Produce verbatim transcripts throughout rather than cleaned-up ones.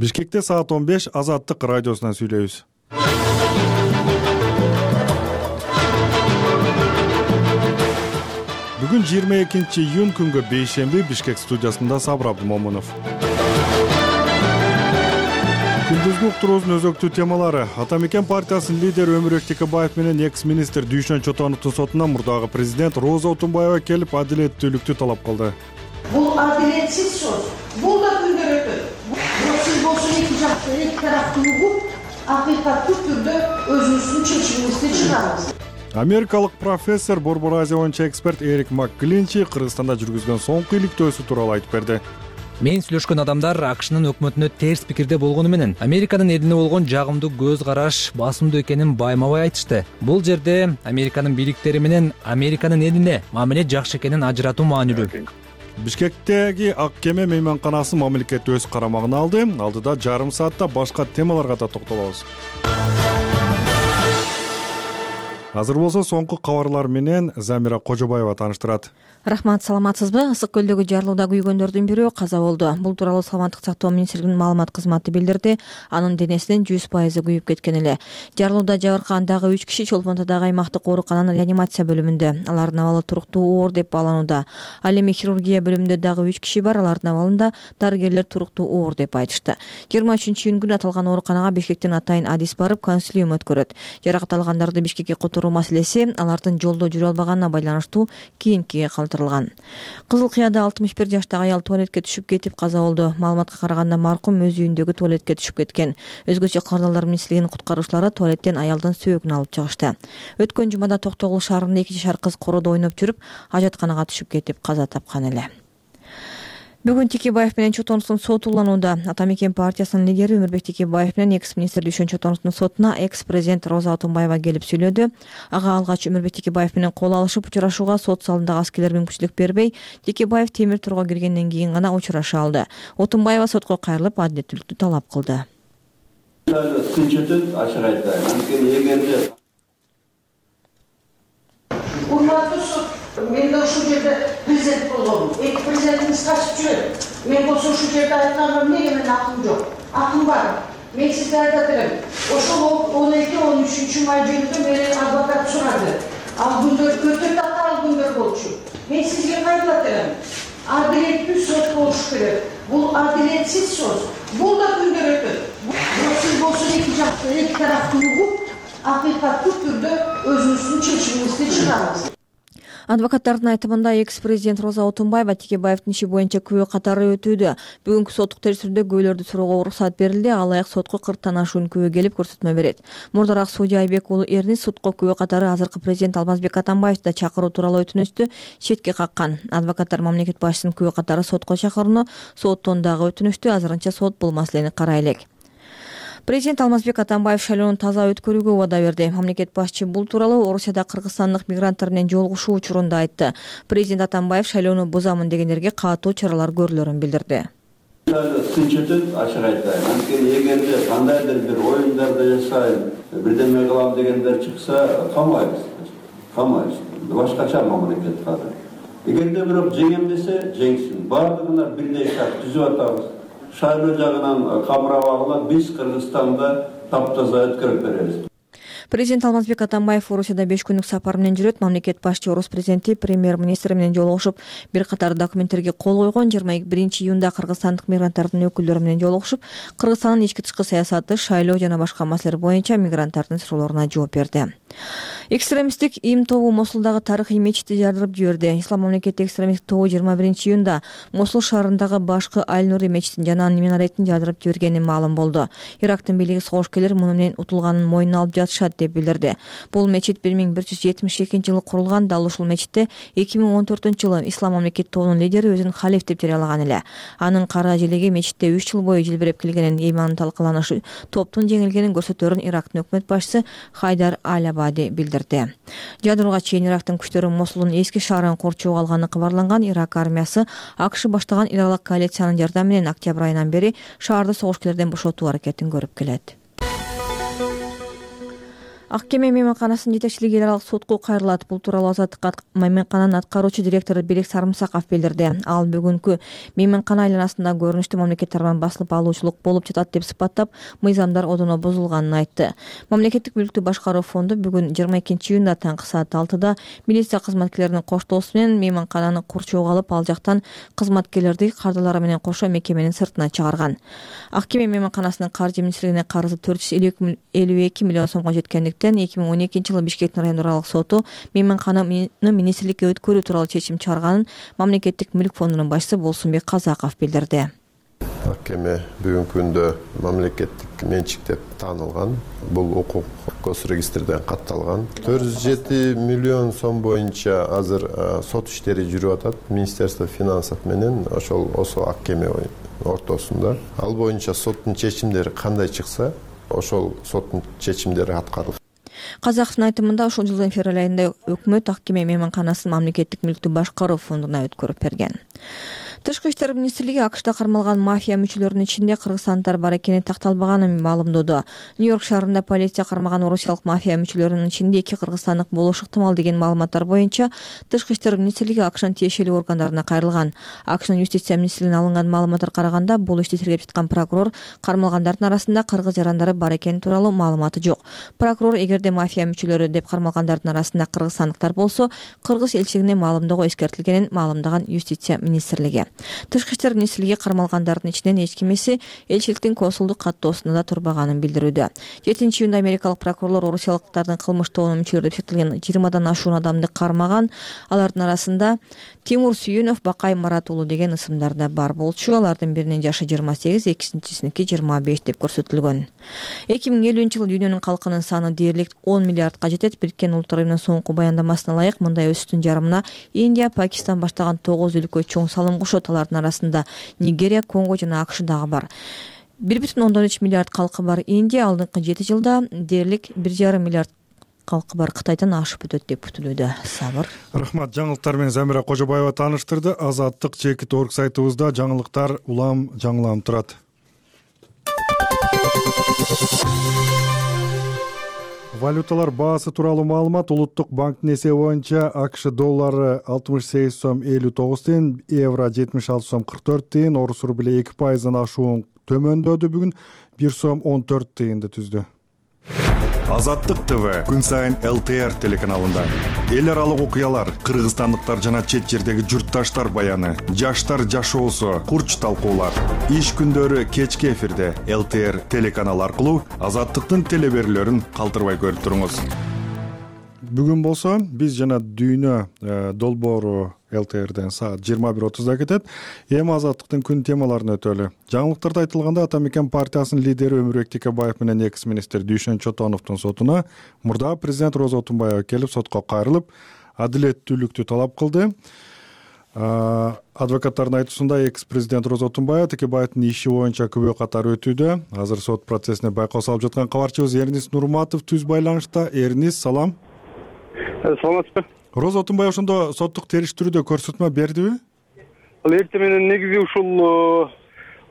Бишкекте саат он беш Азаттык радиосунан сүйлөйбүз. Бүгүн жыйырма экинчи июнь күнгө бейшемби Бишкек студиясында Сабыр Абдымомунов. Күндүзгү уктуруубуздун өзөктүү темалары: Атамекен партиясынын лидери Өмүрбек Текебаев менен экс-министр Дүйшөн Чотоновдун сотуна мурдагы президент Роза Отунбаева келип адилеттүүлүктү талап кылды. Бул адилетсиз сот. Бул да күндөр өтөт. Сиз болсо эки жакты, эки тараптуу угуп, акыйкаттуу түрдө өзүңүздүн чечимиңизди чыгарыңыз. Америкалык профессор Борбор Азия боюнча эксперт Эрик МакКлинчи Кыргызстанда жүргүзгөн соңку иликтөөсү тууралуу айтып берди. Мен сүйлөшкөн адамдар АКШнын өкмөтүнө терс пикирде болгону менен Американын элине болгон жагымдуу көз караш басымдуу экенин байма-бай айтышты. Бул жерде Американын бийликтери менен Американын элине мамиле жакшы экенин ажыратуу маанилүү. Бишкектеги ак кеме мейманканасы мамлекет өз карамагына алды. Алдыда жарым саатта башка темаларга да токтолобуз. Азыр болсо соңку кабарлар менен Замира Кожобаева тааныштырат. Рахмат, саламатсызбы? Ысык көлдөгү жарылууда күйгөндөрдүн бирөө каза болду. Бул тууралуу Саламаттык сактоо министрлигинин маалымат кызматы билдирди. Анын денесинин жүз пайызы күйүп кеткен эле. Жарылууда жабыркаган дагы үч киши Чолпонтодогу аймактык оорукананын реанимация бөлүмүндө. Алардын абалы туруктуу оор деп бааланууда. Ал эми хирургия бөлүмүндө дагы үч киши бар. Алардын абалында дарыгерлер туруктуу оор деп айтышты. жыйырма үчүнчү июнь күнү аталган ооруканага Бишкектен атайын адис барып, консилиум өткөрөт. Жаракат алгандарды Бишкекке которуу маселеси алардын жолдо жүрө албаганына байланыштуу кийинкиге калтырылган. Кызыл Кыяда алтымыш бир жаштагы аял туалетке түшүп кетип каза болду. Маалыматка караганда маркум өз үйүндөгү туалетке түшүп кеткен. Өзгөчө Кардалдар министрлигинин куткаруучулары туалеттен аялдын сөөгүн алып чыгышты. Өткөн жумада Токтогул шаарында эки жашар кыз кородо ойноп жүрүп, ажатканага түшүп кетип каза тапкан эле. Бүгүн Текебаев менен Чотоновдун соту уланууда. Атамекен партиясынын лидери Өмүрбек Текебаев менен экс-министр Дүйшөн Чотоновдун сотуна экс-президент Роза Отунбаева келип сүйлөдү. Ага алгач Өмүрбек Текебаев менен кол алышып учурашууга сот залындагы аскерлер мүмкүнчүлүк бербей, Текебаев темир торго киргенден кийин гана учураша алды. Отунбаева сотко кайрылып адилеттүүлүктү талап кылды. Тынчытып ачык айтайын. Анткени эгерде Урматтуу сот, мен да ушул жерде президент болгом. Эки президентиңиз качып жүрөт. Мен болсо ушул жерде айтканым эмнеге менин акым жок. Акым бар. Мен сизге айтат элем. Ошол он эки он үчүнчү май жөнүндө менен адвокат сурады. Ал күндөр өтө татаал күндөр болчу. Мен сизге кайтат элем. Адилеттүү сот болуш керек. Бул адилетсиз сот. Бул да күндөр өтөт. Сиз болсо эки жакты, эки тараптуу угуп, акыйкаттуу түрдө өзүңүздүн чечимиңизди чыгарыңыз. Адвокаттардын айтымында экс-президент Роза Отунбаева Текебаевдин иши боюнча күбө катары өтүүдө. Бүгүнкү соттук териштирүүдө күбөлөрдү суроого уруксат берилди. Алаяк сотко кырктан ашуун күбө келип көрсөтмө берет. Мурдараак судья Айбек уулу Эрнис сотко күбө катары азыркы президент Алмазбек Атамбаевди да чакыруу тууралуу өтүнүштү четке каккан. Адвокаттар мамлекет башчысынын күбө катары сотко чакырууну, соттон дагы өтүнүштү. Азырынча сот бул маселени карай элек. Президент Алмазбек Атамбаев шайлоону таза өткөрүүгө убада берди. Мамлекет башчы бул тууралуу Орусияда кыргызстандык мигранттар менен жолугушуу учурунда айтты. Президент Атамбаев шайлоону бузамын дегендерге катуу чаралар көрүлөрүн билдирди. Тынчытып ачык айтайын. Анткени эгерде кандайдыр бир оюндарды жасайын, бирдеме кылам дегендер чыкса, камайбыз. Камайбыз. Башкача мамлекет кадыр. Эгерде бирок жеңем десе, жеңсин. Бардыгына бирдей шарт түзүп атабыз. Шайлоо жагынан камырап алган биз Кыргызстанда таптаза өткөрүп беребиз. Президент Алмазбек Атамбаев Орусияда беш күндүк сапар менен жүрөт. Мамлекет башчы Орус президенти, премьер-министри менен жолугушуп, бир катар документтерге кол койгон. жыйырма биринчи июнда кыргызстандык мигранттардын өкүлдөрү менен жолугушуп, Кыргызстандын ички тышкы саясаты, шайлоо жана башка маселелер боюнча мигранттардын суроолоруна жооп берди. Экстремисттик им тобу Мосулдагы тарыхый мечитти жардырып жиберди. Ислам мамлекети экстремисттик тобу жыйырма биринчи июнда Мосул шаарындагы башкы Аль-Нури мечитин жана минаретин жардырып жибергени маалым болду. Ирактын бийлиги согушкерлер муну менен утулганын мойнуна алып жатышат деп билдирди. Бул мечит бир миң бир жүз жетимиш экинчи жылы курулган. Дал ушул мечитте эки миң он төртүнчү жылы Ислам мамлекети тобунун лидери өзүн халиф деп жарыялаган эле. Анын кара желеги мечитте үч жыл бою желбиреп келгенин, иманын талкаланышы топтун жеңилгенин көрсөтөрүн Ирактын өкмөт башчысы Хайдар Аль-Абади билдирди. Жадырууга чейин Ирактын күчтөрү Мосулдун эски шаарын корчоого алганы кабарланган. Ирак армиясы АКШ баштаган эл аралык коалициянын жардамы менен октябрь айынан бери шаарды согушкерлерден бошотуу аракетин көрүп келет. Ак кеме мейманканасынын жетекчилиги эл аралык сотко кайрылат. Бул тууралуу Азаттыкка мейманкананын аткаруучу директору Белек Сарымсаков билдирди. Ал бүгүнкү мейманкана айланасында көрүнүштүү мамлекет тарабынан басылып алуучулук болуп жатат деп сыпаттап, мыйзамдар одоно бузулганын айтты. Мамлекеттик мүлктү башкаруу фонду бүгүн жыйырма экинчи июнда таңкы саат алтыда милиция кызматкерлеринин коштоосу менен мейманкананы курчоого алып, ал жактан кызматкерлерди кардалары менен кошо мекеменин сыртына чыгарган. Ак кеме мейманканасынын каржы министрлигине карызы төрт жүз элүү эки миллион сомго жеткендиктен эки миң он экинчи жылы Бишкектин райондук аралык соту мейманкананы министрликке өткөрүү тууралуу чечим чыгарганын мамлекеттик мүлк фондунун башчысы Болсунбек Казаков билдирди. Ак кеме бүгүнкү күндө мамлекеттик менчик деп таанылган. Бул укук госрегистрден катталган. төрт жүз жети миллион сом боюнча азыр сот иштери жүрүп атат. Министерство финансов менен ошол осо ак кеме ортосунда. Ал боюнча соттун чечимдери кандай чыкса, ошол соттун чечимдери аткарылат. Казаковдун айтымында ушул жылдын февраль айында өкмөт ак кеме мейманканасын мамлекеттик мүлктү башкаруу фондуна өткөрүп берген. Тышкы иштер министрлиги АКШда кармалган мафия мүчөлөрүнүн ичинде кыргызстандыктар бар экени такталбаганын маалымдоду. Нью-Йорк шаарында полиция кармаган орусиялык мафия мүчөлөрүнүн ичинде эки кыргызстандык болушу ыктымал деген маалыматтар боюнча Тышкы иштер министрлиги АКШнын тиешелүү органдарына кайрылган. АКШнын юстиция министрлигинен алынган маалыматтар караганда, бул ишти тергеп жаткан прокурор кармалгандардын арасында кыргыз жарандары бар экени тууралуу маалыматы жок. Прокурор эгерде мафия мүчөлөрү деп кармалгандардын арасында кыргызстандыктар болсо, кыргыз элчилигине маалымдоого эскертилгенин маалымдаган юстиция министрлиги. Тышкы иштер министрлиги кармалгандардын ичинен эч кимиси элчиликтин консулдук каттоосунда да турбаганын билдирүүдө. жетинчи июнда америкалык прокурорлор орусиялыктардын кылмыш тобунун мүчөлөрү деп эсептелген жыйырмадан ашуун адамды кармаган. Алардын арасында Тимур Сүйүнов, Бакай Марат уулу деген ысымдар да бар болчу. Алардын биринин жашы жыйырма сегиз, экинчисиники жыйырма беш деп көрсөтүлгөн. эки миң элүүнчү жылы дүйнөнүн калкынын саны дээрлик он миллиардка жетет. Бириккен Улуттар уюмунун соңку баяндамасына ылайык, мындай өсүштүн жарымына Индия, Пакистан баштаган тогуз өлкө чоң салым кошот. Алардын арасында Нигерия, Конго жана АКШ дагы бар. бир бүтүн ондон үч миллиард калкы бар Индия алдыңкы жети жылда дээрлик бир жарым миллиард калкы бар Кытайдан ашып өтөт деп күтүлүүдө. Сабыр. Рахмат. Жаңылыктар менен Замира Кожобаева тааныштырды. Азаттык чекит орг сайтыбызда жаңылыктар улам жаңыланып турат. Валюталар баасы тууралуу маалымат. Улуттук банктын эсеби боюнча АКШ доллары алтымыш сегиз сом элүү тогуз тыйын, евро жетимиш алты сом кырк төрт тыйын, орус рубли эки пайыздан ашуун төмөндөдү, бүгүн бир сом он төрт тыйынды түздү. Азаттык ТВ күн сайын эл тэ эр телеканалында эл аралык окуялар, кыргызстандыктар жана чет жердеги журтташтар баяны, жаштар жашоосу, курч талкуулар. Иш күндөрү кечки эфирде эл тэ эр телеканалы аркылуу Азаттыктын телеберүүлөрүн калтырбай көрүп туруңуз. Бүгүн болсо биз жана дүйнө долбоору эл тэ эрден саат жыйырма бир отузда кетет. Эми Азаттыктын күн темаларын өтөлү. Жаңылыктарда айтылганда, Атамекен партиясынын лидери Өмүрбек Текебаев менен экс-министр Дүйшөн Чотоновдун сотуна мурдагы президент Роза Отунбаева келип, сотко кайрылып, адилеттүүлүктү талап кылды. Адвокаттардын айтуусунда, экс-президент Роза Отунбаева Текебаевдин иши боюнча күбө катары өтүүдө. Азыр сот процессине байкоо салып жаткан кабарчыбыз Эрнис Нурматов түз байланышта. Эрнис, салам. Саламатсызбы. Роза Отунбаева ошондо соттук териштирүүдө көрсөтмө бердиби? Ал эртең менен негизи ушул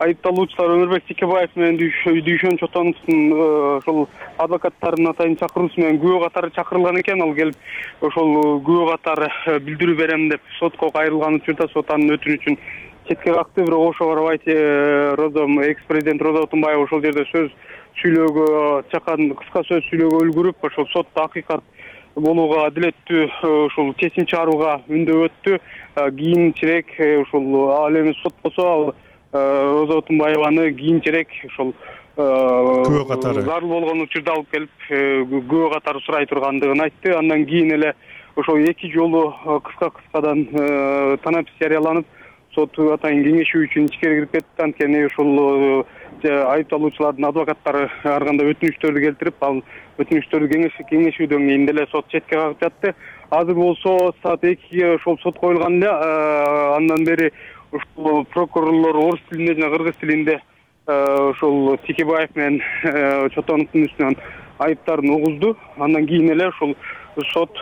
айыпталуучулар Өмүрбек Текебаев менен Дүйшөн Чотоновдун ошол адвокаттарынын атайын чакыруусу менен күбө катары чакырылган экен. Ал келип ошол күбө катары билдирүү берем деп сотко кайрылган учурда сот анын өтүнүчүн четке какты. Бирок ошого карабай Роза экс-президент Роза Отунбаева ошол жерде сөз сүйлөөгө чакан кыска сөз сүйлөөгө үлгүрүп, ошол сотто акыйкат болууга, адилеттүү ошол чечим чыгарууга үндөө өттү. Кийинчерээк ошол ал эми сот болсо ал Роза Отунбаеваны кийинчерээк ошол күбө катары зарыл болгон учурда алып келип күбө катары сурай тургандыгын айтты. Андан кийин эле ошол эки жолу кыска-кыскадан танапис жарыяланып, сот атайын кеңешүү үчүн ичкери кирип кетти. Анткени ошол айыпталуучулардын адвокаттары ар кандай өтүнүчтөрдү келтирип, ал өтүнүчтөрдү кеңешүүдөн кийин деле сот четке кагып жатты. Азыр болсо саат экиге ошол сот коюлган эле. Андан бери ушул прокурорлор орус тилинде жана кыргыз тилинде ошол Текебаев менен Чотоновдун үстүнөн айыптарын угузду. Андан кийин эле ошол сот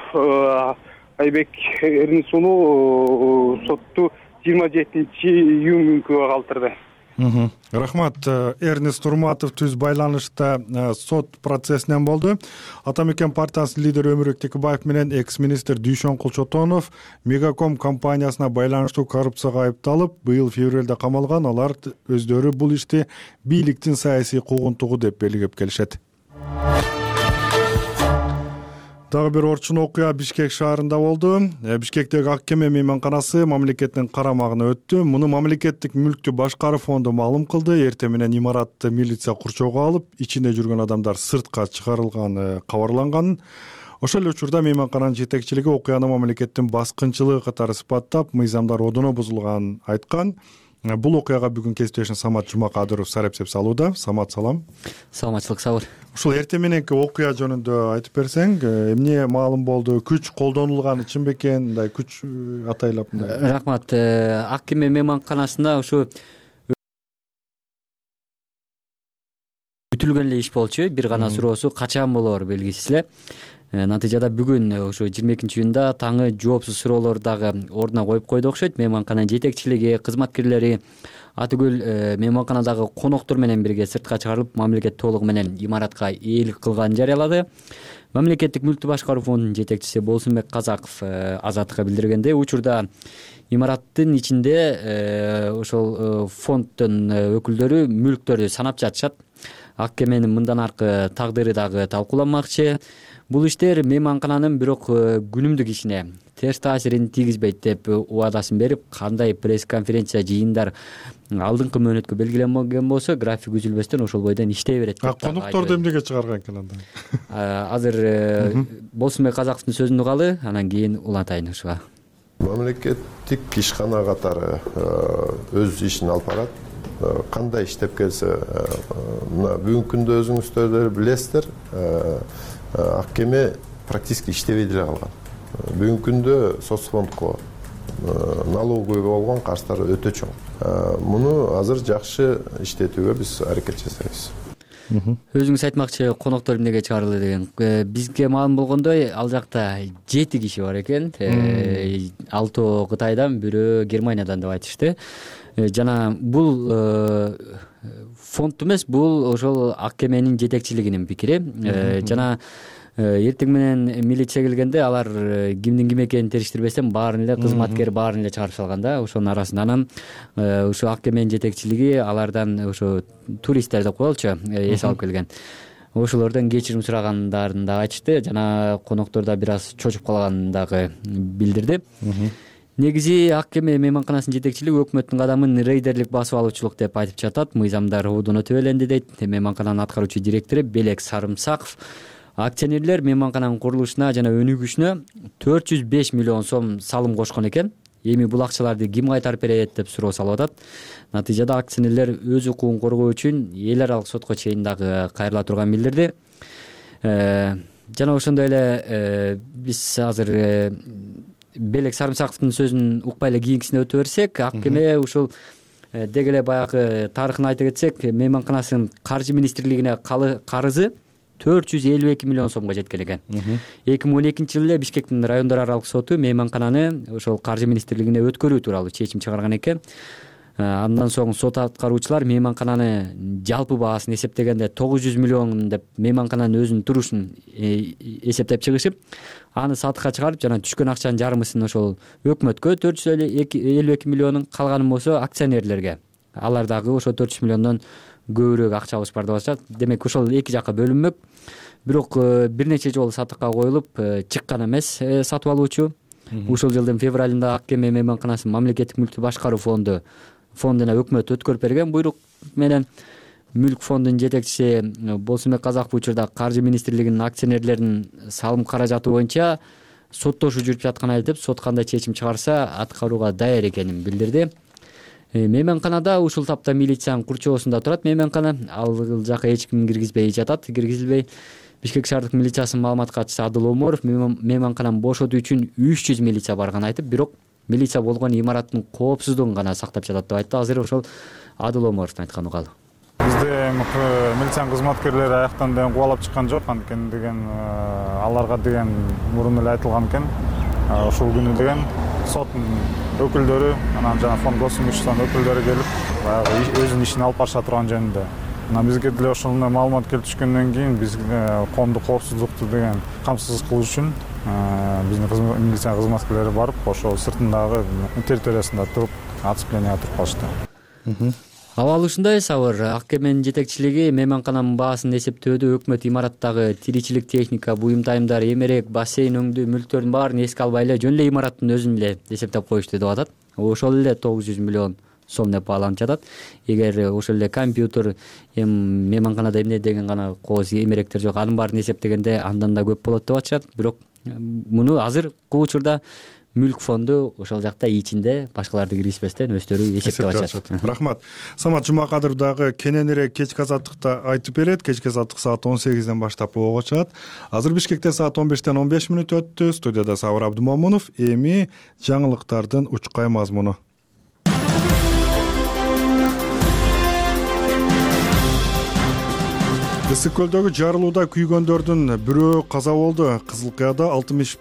Айбек Эрнис уулу сотту жыйырма жетинчи июнь күнгө калтырды. Рахмат. Эрнест Турматов түз байланышта сот процессинен болду. Ата мекен партиясынын лидери Өмүрбек Текебаев менен экс-министр Дүйшөн Кулчотонов Мегаком компаниясына байланыштуу коррупцияга айыпталып, быйыл февралда камалган. Алар өздөрү бул ишти бийликтин саясий куугунтугу деп белгилеп келишет. Дагы бир орчун окуя Бишкек шаарында болду. Бишкектеги Ак кеме мейманканасы мамлекеттин карамагына өттү. Муну мамлекеттик мүлктү башкаруу фонду маалым кылды. Эртең менен имаратты милиция курчоого алып, ичинде жүргөн адамдар сыртка чыгарылганы кабарланган. Ошол эле учурда мейманкананын жетекчилиги окуяны мамлекеттин баскынчылыгы катары сыпаттап, мыйзамдар одоно бузулганын айткан. Бул окуяга бүгүн кесиптешим Самат Жумакадыров сарапсеп салууда. Самат, салам. Саламатчылык, сабыр. Ушул эртең мененки окуя жөнүндө айтып берсең, эмне маалым болду? Күч колдонулган чын бекен? Мындай күч атайлап мындай. Рахмат. Ак кеме мейманканасында ушу бүтүлгөн эле иш болчу. Бир гана суроосу качан болоор белгисиз эле. Натыйжада бүгүн ошо жыйырма экинчи июнда таңы жоопсуз суроолор дагы ордуна коюп койду окшойт. Мейманкананын жетекчилиги, кызматкерлери атүгүл мейманканадагы коноктор менен бирге сыртка чыгарылып, мамлекет толугу менен имаратка ээлик кылганын жарыялады. Мамлекеттик мүлктү башкаруу фондунун жетекчиси Болсунбек Казаков Азаттыкка билдиргендей, учурда имараттын ичинде ошол фонддун өкүлдөрү мүлктөрдү санап жатышат. Ак кеменин мындан аркы тагдыры дагы талкууланмакчы. Бул иштер мейманкананын бирок күнүмдүк ишине терс таасирин тийгизбейт деп убадасын берип, кандай пресс-конференция, жыйындар алдыңкы мөөнөткө белгиленген болсо, график үзүлбөстөн ошол бойдон иштей берет деп. Конокторду эмнеге чыгарган экен анда? Азыр Болсунбек Казаковдун сөзүн угалы, анан кийин улантайын ушуга. Мамлекеттик ишкана катары өз ишин алып барат. Кандай иштеп келсе, мына бүгүнкү күндө өзүңүздөр билесиздер, Ак кеме практически иштебей деле калган. Бүгүнкү күндө соцфондко налоговый болгон карыздары өтө чоң. Муну азыр жакшы иштетүүгө биз аракет жасайбыз. Өзүңүз айтмакчы, коноктор эмнеге чыгарылды деген. Бизге маалым болгондой, ал жакта жети киши бар экен. Алтоо Кытайдан, бирөө Германиядан деп айтышты. Жана бул фонд эмес, бул ошол Ак кеменин жетекчилигинин пикири. Жана эртең менен милиция келгенде алар кимдин ким экенин териштирбестен баарын эле кызматкер баарын эле чыгарып салганда, ошонун арасында анан ушу Ак кеменин жетекчилиги алардан ошо туристтер деп коелучу, эс алып келген. Ошолордон кечирим сурагандарын да айтышты, жана коноктор да бир аз чочуп калганын дагы билдирди. Негизи Ак кеме мейманканасынын жетекчилиги өкмөттүн кадамын рейдерлик басып алуучулук деп айтып жатат. Мыйзамдар одоно төбөленди дейт. Мейманкананын аткаруучу директору Белек Сарымсаков акционерлер мейманкананын курулушуна жана өнүгүшүнө төрт жүз беш миллион сом салым кошкон экен. Эми бул акчаларды ким кайтарып берет деп суроо салып атат. Натыйжада акционерлер өз укугун коргоо үчүн эл аралык сотко чейин дагы кайрыла турганын билдирди. Жана ошондой эле биз азыр Белек Сарымсаковдун сөзүн укпай эле кийинкисине өтө берсек, Ак кеме ушул деги эле баягы тарыхын айта кетсек, мейманканасынын каржы министрлигине карызы төрт жүз элүү эки миллион сомго жеткен экен. эки миң он экинчи жылы эле Бишкектин райондор аралык соту мейманкананы ошол каржы министрлигине өткөрүү тууралуу чечим чыгарган экен. Андан соң сот аткаруучулар мейманкананы жалпы баасын эсептегенде тогуз жүз миллион деп мейманкананын өзүнүн турушун эсептеп чыгышып, аны сатыкка чыгарып, жана түшкөн акчанын жарымысын ошол өкмөткө төрт жүз элүү эки миллионун, калганын болсо акционерлерге. Алар дагы ошо төрт жүз миллиондон көбүрөөк акчабыз бар деп атышат. Демек ошол эки жакка бөлүнмөк. Бирок бир нече жолу сатыкка коюлуп чыккан эмес сатып алуучу. Ушул жылдын февралында Ак кеме мейманканасынын мамлекеттик мүлктү башкаруу фонду фондуна өкмөт өткөрүп берген буйрук менен мүлк фондунун жетекчиси Болсунбек Казаков учурда каржы министрлигинин акционерлеринин салым каражаты боюнча соттошуу жүрүп жатканын айтып, сот кандай чечим чыгарса аткарууга даяр экенин билдирди. Мейманканада ушул тапта милициянын курчоосунда турат мейманкана. Ал жака эч ким киргизбей жатат, киргизилбей. Бишкек шаардык милициясынын маалымат катчысы Адыл Оморов мейманкананы бошотуу үчүн үч жүз милиция барганын айтып, бирок милиция болгон имараттын коопсуздугун гана сактап жатат деп айтты. Азыр ошол Адыл Оморовдун айтканы угалы. Бизде милициянын кызматкерлери аяктан деген кубалап чыккан жок, анткени деген аларга деген мурун эле айтылган экен. Ушул күнү деген соттун өкүлдөрү анан жана фонд госимуществонун өкүлдөрү келип баягы өзүнүн ишин алып барыша турган жөнүндө. Мына бизге деле ошондой маалымат келип түшкөндөн кийин биз коомдук коопсуздукту деген камсыз кылыш үчүн биздин милиция кызматкерлери барып, ошол сыртындагы территориясында туруп, оцепленияга туруп калышты. Абал ушундай Сабыр, ак кеменин жетекчилиги мейманкананын баасын эсептөөдө өкмөт имараттагы тиричилик техника, буюм тайымдар, эмерек, бассейн өңдүү мүлктөрдүн баарын эске албай эле жөн эле имараттын өзүн эле эсептеп коюшту деп атат. Ошол эле тогуз жүз миллион сом деп бааланып жатат. Эгер ошол эле компьютер, эми мейманканада эмне деген гана кооз эмеректер жок, анын баарын эсептегенде андан да көп болот деп атышат. Бирок муну азыр учурда мүлк фонду ошол жакта ичинде башкаларды киргизбестен өздөрү эсептеп атышат. Рахмат. Самат Жумакадыров дагы кененирээк кечки азаттыкта айтып берет. Кечки азаттык саат он сегизден баштап ого чыгат. Азыр Бишкекте саат он бештен он беш мүнөт өттү. Студияда Сабыр Абдумомунов. Эми жаңылыктардын учкай мазмуну. Ысык көлдөгү жарылууда күйгөндөрдүн бирөө каза болду. Кызыл Кыяда алтымыш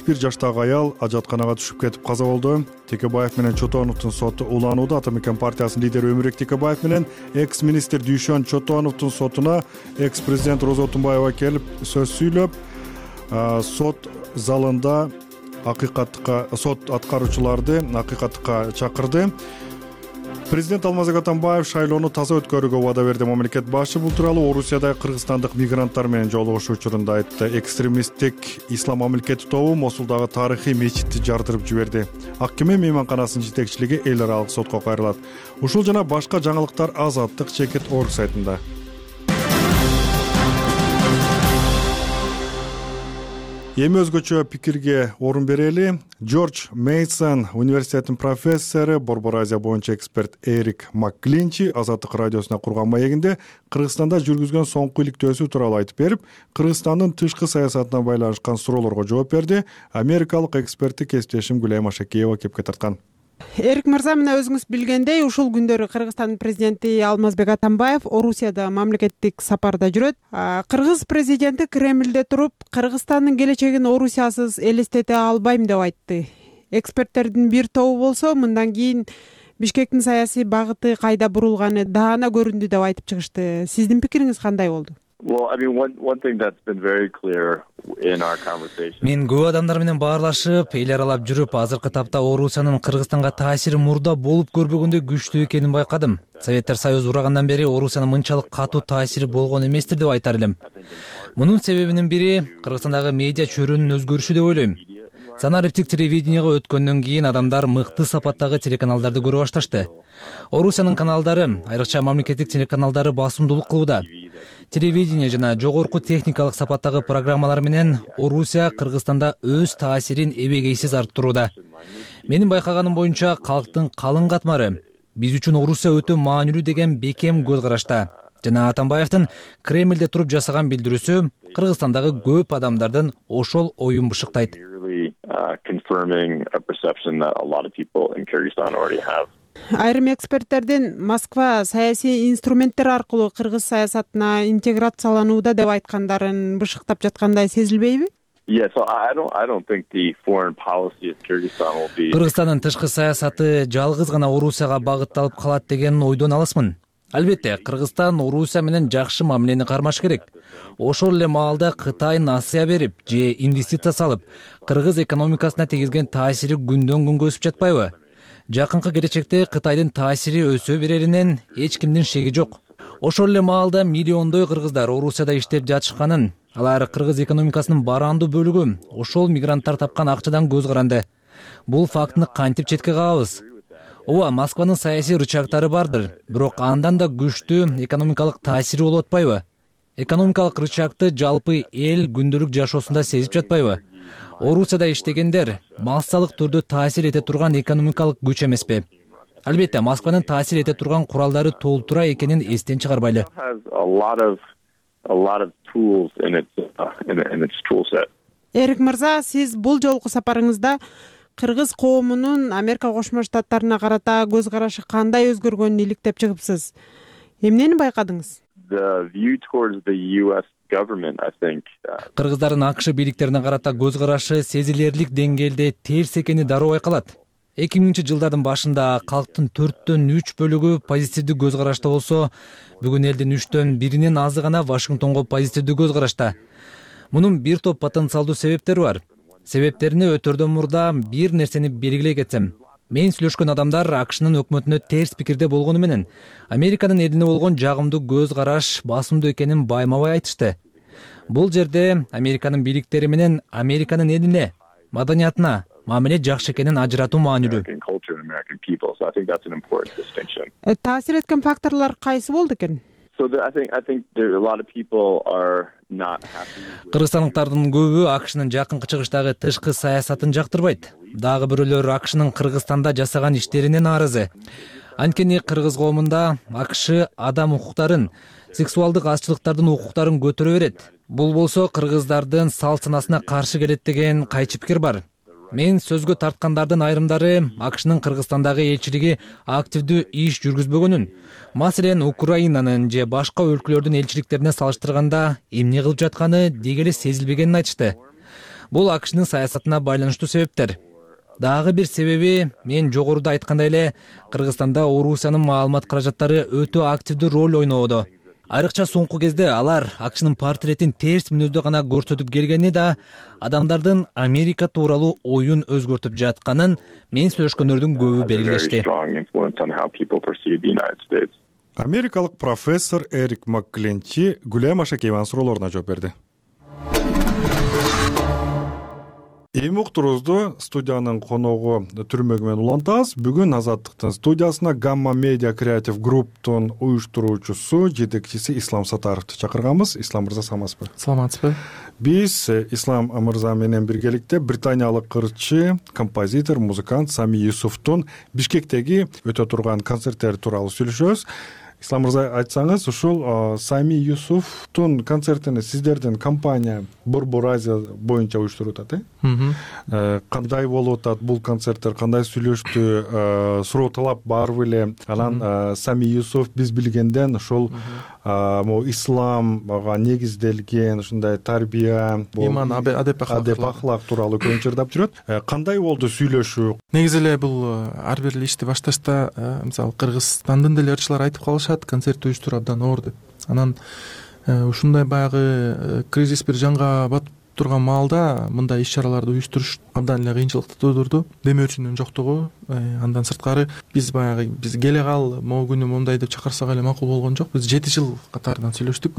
бир жаштагы аял ажатканага түшүп кетип каза болду. Текебаев менен Чотоновдун соту уланууда. Атамекен партиясынын лидери Өмүрбек Текебаев менен экс-министр Дүйшөн Чотоновдун сотуна экс-президент Роза Отунбаева келип сөз сүйлөп, сот залында акыйкатка сот аткаруучуларды акыйкатка чакырды. Президент Алмазбек Атамбаев шайлоону таза өткөрүүгө убада берди. Мамлекет башы бул тууралуу Орусияда кыргызстандык мигранттар менен жолугушуу учурунда айтты. Экстремисттик ислам мамлекети тобу Мосулдагы тарыхый мечитти жардырып жиберди. Ак кеме мейманканасынын жетекчилиги эл аралык сотко кайрылат. Ушул жана башка жаңылыктар Азаттык чекит орг сайтында. Эми өзгөчө пикирге орун берели. Джордж Мейсон университетинин профессору, Борбор Азия боюнча эксперт Эрик Макклинчи Азаттык радиосуна курган маегинде Кыргызстанда жүргүзгөн соңку иликтөөсү тууралуу айтып берип, Кыргызстандын тышкы саясатына байланышкан суроолорго жооп берди. Америкалык экспертти кесиптешим Гүлайым Ашакеева кепке тарткан. Эрик мырза, мына өзүңүз билгендей, ушул күндөрү Кыргызстандын президенти Алмазбек Атамбаев Орусияда мамлекеттик сапарда жүрөт. Кыргыз президенти Кремлде туруп, Кыргызстандын келечегин Орусиясыз элестете албайм деп айтты. Эксперттердин бир тобу болсо, мындан кийин Бишкектин саясий багыты кайда бурулганы даана көрүндү деп айтып чыгышты. Сиздин пикириңиз кандай болду? Мен көп адамдар менен баарлашып, эл аралап жүрүп, азыркы тапта Орусиянын Кыргызстанга таасири мурда болуп көрбөгөндөй күчтүү экенин байкадым. Советтер Союзу урагандан бери Орусиянын мынчалык катуу таасири болгон эместир деп айтар элем. Мунун себебинин бири Кыргызстандагы медиа чөйрөнүн өзгөрүшү деп ойлойм. Санариптик телевиденияга өткөндөн кийин адамдар мыкты сапаттагы телеканалдарды көрө башташты. Орусиянын каналдары, айрыкча мамлекеттик телеканалдары басымдуулук кылууда. Телевидение жана жогорку техникалык сапаттагы программалар менен Орусия Кыргызстанда өз таасирин эбегейсиз арттырууда. Менин байкаганым боюнча калктын калың катмары биз үчүн Орусия өтө маанилүү деген бекем көз карашта. Жана Атамбаевдин Кремлде туруп жасаган билдирүүсү Кыргызстандагы көп адамдардын ошол оюн бышыктайт. Айрым эксперттердин Москва саясий инструменттер аркылуу кыргыз саясатына интеграцияланууда деп айткандарын бышыктап жаткандай сезилбейби? Кыргызстандын тышкы саясаты жалгыз гана Орусияга багытталып калат деген ойдон алысмын. Албетте, Кыргызстан Орусия менен жакшы мамилени кармаш керек. Ошол эле маалда Кытай насыя берип же инвестиция салып, кыргыз экономикасына тийгизген таасири күндөн күнгө өсүп жатпайбы? Жакынкы келечекте Кытайдын таасири өсө береринен эч кимдин шеги жок. Ошол эле маалда миллиондой кыргыздар Орусияда иштеп жатышканын, алар кыргыз экономикасынын барандуу бөлүгү ошол мигранттар тапкан акчадан көз каранды. Бул фактыны кантип четке кагабыз? Ооба, Москванын саясий рычагтары бардыр, бирок андан да күчтүү экономикалык таасири болуп атпайбы? Экономикалык рычагты жалпы эл күндөлүк жашоосунда сезип жатпайбы? Орусияда иштегендер массалык түрдө таасир эте турган экономикалык күч эмеспи? Албетте, Москванын таасир эте турган куралдары толтура экенин эстен чыгарбайлы. Эрик мырза, сиз бул жолку сапарыңызда кыргыз коомунун Америка Кошмо Штаттарына карата көз карашы кандай өзгөргөнүн иликтеп чыгыпсыз. Эмнени байкадыңыз? кыргыздардын АКШ бийликтерине карата көз карашы сезилерлик деңгээлде терс экени дароо байкалат. эки миңинчи жылдардын башында калктын төрттөн үч бөлүгү позитивдүү көз карашта болсо, бүгүн элдин үчтөн биринен азы гана Вашингтонго позитивдүү көз карашта. Мунун бир топ потенциалдуу себептери бар. Себептерине өтөрдөн мурда бир нерсени белгилей кетсем, мен сүйлөшкөн адамдар АКШнын өкмөтүнө терс пикирде болгону менен Американын элине болгон жагымдуу көз караш басымдуу экенин байма-бай айтышты. Бул жерде Американын бийликтери менен Американын элине, маданиятына мамиле жакшы экенин ажыратуу маанилүү. Таасир эткен факторлор кайсы болду экен? Кыргызстандыктардын көбү АКШнын жакынкы чыгыштагы тышкы саясатын жактырбайт. Дагы бирөөлөр АКШнын Кыргызстанда жасаган иштерине нааразы. Анткени кыргыз коомунда АКШ адам укуктарын, сексуалдык азчылыктардын укуктарын көтөрө берет. Бул болсо кыргыздардын салт санасына каршы келет деген кайчы пикир бар. Мен сөзгө тарткандардын айрымдары АКШнын Кыргызстандагы элчилиги активдүү иш жүргүзбөгөнүн, маселен Украинанын же башка өлкөлөрдүн элчиликтерине салыштырганда эмне кылып жатканы деги эле сезилбегенин айтышты. Бул АКШнын саясатына байланыштуу себептер. Дагы бир себеби, мен жогоруда айткандай эле, Кыргызстанда Орусиянын маалымат каражаттары өтө активдүү роль ойноодо. Айрыкча соңку кезде алар АКШнын портретин терс мүнөздө гана көрсөтүп келгени да адамдардын Америка тууралуу оюн өзгөртүп жатканын мен сүйлөшкөндөрдүн көбү белгилешти. Америкалык профессор Эрик Маккленчи Гүлем Ашакееванын суроолоруна жооп берди. Эми уктуруубузду студиянын коногу Түрмөгү менен улантабыз. Бүгүн Азаттыктын студиясына Gamma Media Creative Group'тун уюштуруучусу, жетекчиси Ислам Сатаровду чакырганбыз. Ислам мырза, саламатсызбы? Саламатсызбы. Биз Ислам мырза менен биргеликте британиялык кырчы, композитор, музыкант Сами Юсуфтун Бишкектеги өтө турган концерттери тууралуу сүйлөшөбүз. Ислам мырза, айтсаңыз, ушул Сами Юсуфтун концертини сиздердин компания Борбор Азия боюнча уюштуруп атат, э? Кандай болуп атат бул концерттер, кандай сүйлөштү, суроо талап бар беле? Анан Сами Юсуф биз билгенден ушул могу исламга негизделген ушундай тарбия, иман, адеп ахлак тууралуу көбүнчө ырдап жүрөт. Кандай болду сүйлөшүү? Негизи эле бул ар бир ишти башташта, мисалы Кыргызстандын деле ырчылар айтып калышат, концерт уюштуруу абдан оор деп. Анан ушундай баягы кризис бир жанга батып турган маалда мындай иш-чараларды уюштуруш абдан эле кыйынчылыкты туудурду. Демөөрчүнүн жоктугу, андан сырткары биз баягы биз келе кал, могу күнү моундай деп чакырсак эле макул болгон жок. Биз жети жыл катарынан сүйлөштүк.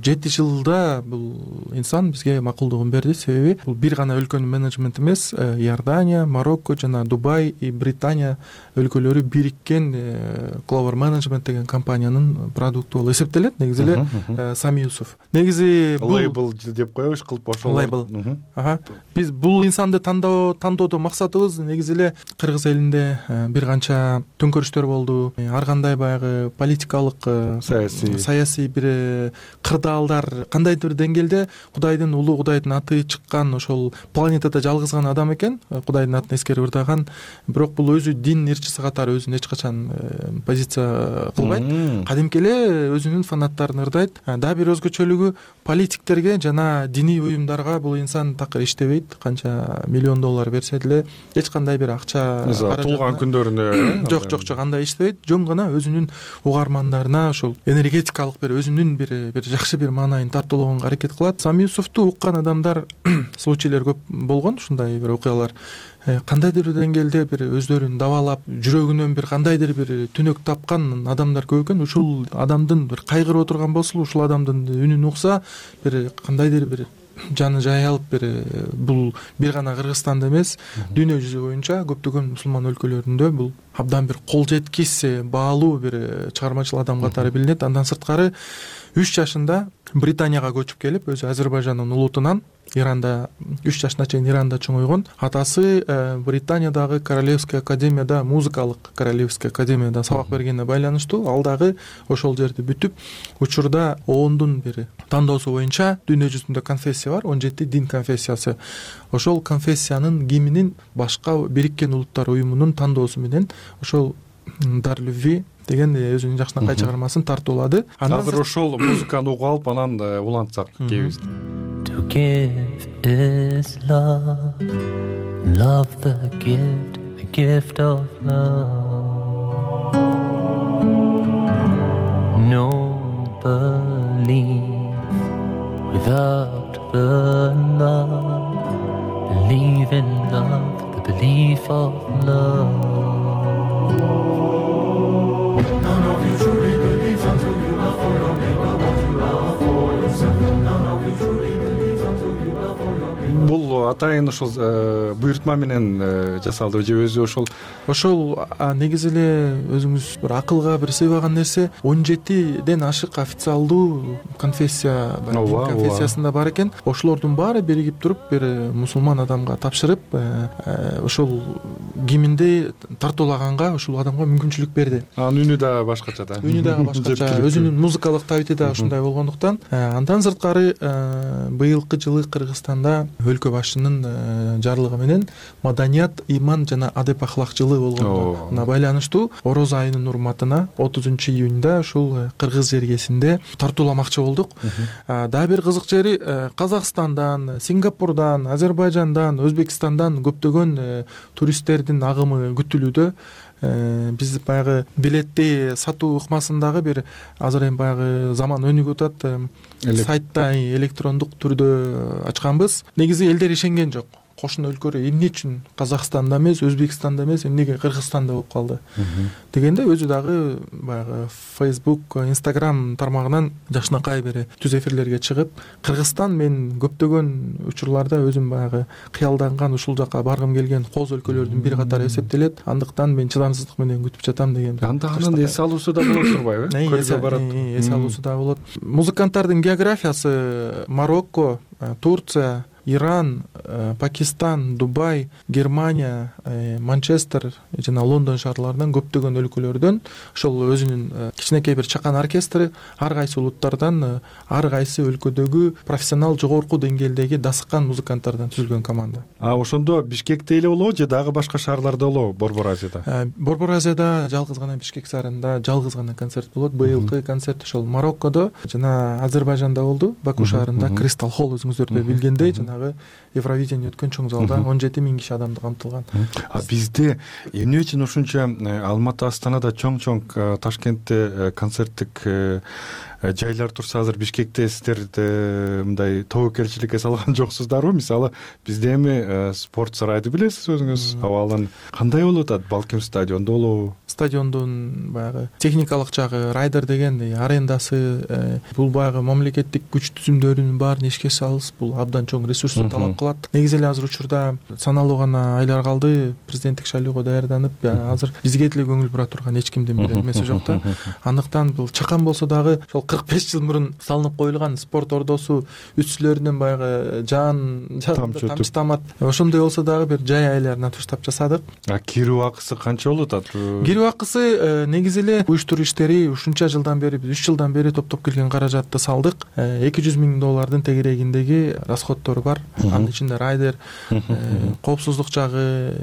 жети жылда бул инсан бизге макулдугун берди. Себеби бул бир гана өлкөнүн менеджменти эмес, Иордания, Марокко жана Дубай и Британия өлкөлөрү бириккен Clover Management деген компаниянын продукту болуп эсептелет. Негизи эле Сами Юсуф. Негизи бул лейбл деп коебуз, кылып ошол лейбл. Ага. Биз бул инсанды тандоо тандоодо максатыбыз негизи эле Кыргыз элинде бир канча төңкөрүштөр болду. Ар кандай баягы политикалык, саясий саясий бир кырдаалдар кандайдыр бир деңгээлде Кудайдын улуу, Кудайдын аты чыккан, ошол планетада жалгыз гана адам экен, Кудайдын атын эскерип ырдаган. Бирок бул өзү дин ырчысы катары өзүн эч качан позиция кылбайт. Кадимки эле өзүнүн фанаттарын ырдайт. Дагы бир өзгөчөлүгү политиктерге жана диний уюмдарга бул инсан такыр иштебейт. Канча миллион доллар берсе деле эч кандай бир акча туулган күндөрүнө жок жок жок андай иштебейт. Жөн гана өзүнүн угармандарына ошол энергетикалык бир өзүнүн бир бир жакшы бир маанайын тартуулаганга аракет кылат. Сами Юсуфту уккан адамдар случайлар көп болгон, ушундай бир окуялар. Кандайдыр бир деңгээлде бир өздөрүн дабалап, жүрөгүнөн бир кандайдыр бир түнөк тапкан адамдар көп экен. Ушул адамдын бир кайгырып отурган болсо, ушул адамдын үнүн укса, бир кандайдыр бир жаны жайылып, бир бул бир гана Кыргызстанда эмес, дүйнө жүзү боюнча көптөгөн мусулман өлкөлөрүндө бул абдан бир кол жеткис, баалуу бир чыгармачыл адам катары билинет. Андан сырткары үч жашында Британияга көчүп келип, өзү Азербайжандын улутунан Иранда үч жашына чейин Иранда чоңойгон. Атасы Британиядагы Королевская академияда, музыкалык Королевская академияда сабак бергенине байланыштуу ал дагы ошол жерди бүтүп, учурда оондун бир тандоосу боюнча дүйнө жүзүндө конфессия бар, он жети дин конфессиясы. Ошол конфессиянын гимнин башка Бириккен Улуттар уюмунун тандоосу менен ошол дар любви деген өзүнүн жакшынакай чыгармасын тартуулады. Азыр ошол музыканы угуп алып анан улантсак кебиз. To give is love, love the gift, the gift of love. No belief without the love, believe in love, the belief of love. None of you truly believes until you love for your neighbor what you love for yourself. None of you truly believes until you love for your neighbor. Бул атайын ошол буйртма менен жасалды же өзү ошол ошол негизи эле өзүңүз бир акылга бир сыйбаган нерсе он жетиден ашык официалдуу конфессия конфессиясында бар экен. Ошолордун баары биригип туруп бир мусулман адамга тапшырып ошол гимнди тартуулаганга ушул адамга мүмкүнчүлүк берди. Анын үнү да башкача да. Үнү дагы башкача, өзүнүн музыкалык табити да ушундай болгондуктан андан сырткары быйылкы жылы Кыргызстанда өлкө башчынын жарлыгы менен маданият, иман жана адеп ахлак жылы болгонуна байланыштуу Ороз айынын урматына отузунчу июнда ушул Кыргыз жергесинде тартууламакчы болдук. Дагы бир кызык жери Казакстандан, Сингапурдан, Азербайжандан, Өзбекстандан көптөгөн туристтердин агымы күтүлүүдө. Биз баягы билетти сатуу ыкмасындагы бир азыр эми баягы заман өнүгүп атат. Сайтта электрондук түрдө ачканбыз. Негизи элдер ишенген жок. Кошуна өлкөлөр эмне үчүн Казакстанда эмес, Өзбекстанда эмес, эмнеге Кыргызстанда болуп калды дегенде өзү дагы баягы Facebook, Instagram тармагынан жакшынакай бир түз эфирлерге чыгып, Кыргызстан мен көптөгөн учурларда өзүм баягы кыялданган ушул жака баргым келген коз өлкөлөрдүн бири катары эсептелет. Андыктан мен чыдамсыздык менен күтүп жатам деген. Анда анын эс алуусу да болот турбайбы? Көрсө барат. Эс алуусу да болот. Музыканттардын географиясы Марокко, Турция, Иран, Пакистан, Дубай, Германия, Манчестер жана Лондон шаарларынан көптөгөн өлкөлөрдөн ошол өзүнүн кичинекей бир чакан оркестри ар кайсы улуттардан ар кайсы өлкөдөгү профессионал жогорку деңгээлдеги дасыккан музыканттардан түзүлгөн команда. А ошондо Бишкекте эле болобу же дагы башка шаарларда болобу Борбор Азияда? Борбор Азияда жалгыз гана Бишкек шаарында жалгыз гана концерт болот. Быйылкы концерт ошол Мароккодо жана Азербайжанда болду. Баку шаарында Кристал Холл өзүңүздөр да билгендей жана Евровидение өткөн чоң залда он жети миң киши адамды камтылган. А бизде эмне үчүн ушунча Алматы, Астанада чоң-чоң, Ташкентте концерттик жайлар турса, азыр Бишкекте сиздер мындай тобокелчиликке салган жоксуздарбы? Мисалы, бизде эми спорт сарайды билесиз өзүңүз, абалын кандай болуп атат? Балким стадиондо болобу? Стадиондун баягы техникалык жагы, райдер деген арендасы, бул баягы мамлекеттик күч түзүмдөрүнүн баарын эшикке салып, бул абдан чоң ресурсту талап кылат. Негизи эле азыр учурда саналуу гана айлар калды, президенттик шайлоого даярданып, азыр бизге деле көңүл бура турган эч кимдин бир эмеси жок да. Андыктан бул чакан болсо дагы ошол кырк беш жыл мурун салынып коюлган спорт ордосу үстүлөрүнөн баягы жаан тамчытамат. Ошондой болсо дагы бир жай айларына туштап жасадык. А кирүү акысы канча болуп атат? Кирүү акысы негизи эле уюштуруу иштери ушунча жылдан бери, биз үч жылдан бери топтоп келген каражатты салдык. эки жүз миң доллардын тегерегиндеги расходтору бар. Анын ичинде райдер, коопсуздук жагы,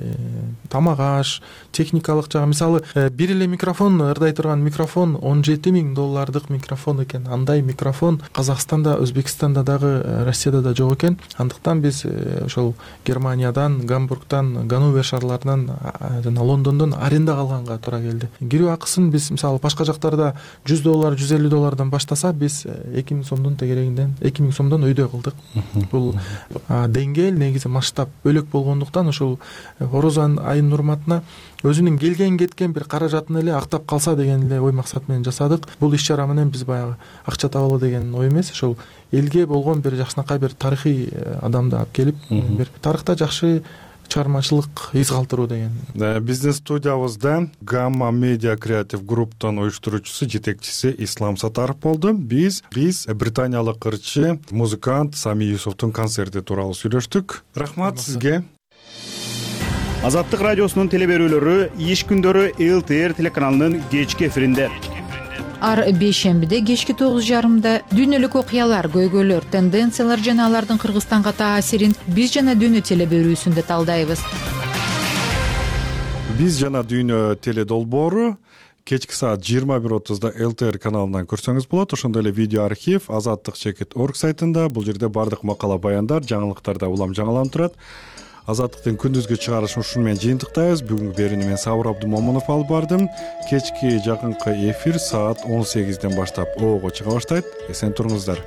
тамак аш, техникалык жагы. Мисалы, бир эле микрофон, ырдай турган микрофон он жети миң доллардык микрофон экен. Андай микрофон Казакстанда, Өзбекстанда дагы, Россияда да жок экен. Андыктан биз ошол Германиядан, Гамбургтан, Ганновер шаарларынан жана Лондондон арендага алганга туура келди. Кирүү акысын биз мисалы башка жактарда жүз доллар, жүз элүү доллардан баштаса, биз эки миң сомдун тегерегинден, эки миң сомдон өйдө кылдык. Бул деңгээл негизи масштаб бөлөк болгондуктан ошол Ороз айынын урматына өзүнүн келген кеткен бир каражатын эле актап калса деген эле ой максат менен жасадык. Бул иш чара менен биз баягы акча табалы деген ой эмес, ошол элге болгон бир жакшынакай бир тарыхый адамды алып келип, бир тарыхта жакшы чыгармачылык из калтыруу деген. Биздин студиябызда Gamma Media Creative Group'тун уюштуруучусу, жетекчиси Ислам Сатаров болду. Биз биз британиялык ырчы, музыкант Сами Юсуфтун концерти тууралуу сүйлөштүк. Рахмат сизге. Азаттык радиосунун теле берүүлөрү иш күндөрү эл ти эр телеканалынын кечки эфиринде. Ар бейшембиде кечки тогуз жарымда дүйнөлүк окуялар, көйгөйлөр, тенденциялар жана алардын Кыргызстанга таасирин биз жана дүйнө теле берүүсүндө талдайбыз. биз жана дүйнө теле долбоору кечки саат жыйырма бир отузда эл тэ эр каналынан көрсөңүз болот. Ошондой эле видео архив азаттык чекит орг сайтында. Бул жерде баардык макала, баяндар, жаңылыктар да улам жаңыланып турат. Азаттыктын күндүзгү чыгарышын ушуну менен жыйынтыктайбыз. Бүгүнкү берүүнү мен Сабыр Абдумомунов алып бардым. Кечки жакынкы эфир саат он сегизден баштап оого чыга баштайт. Эсен туруңуздар.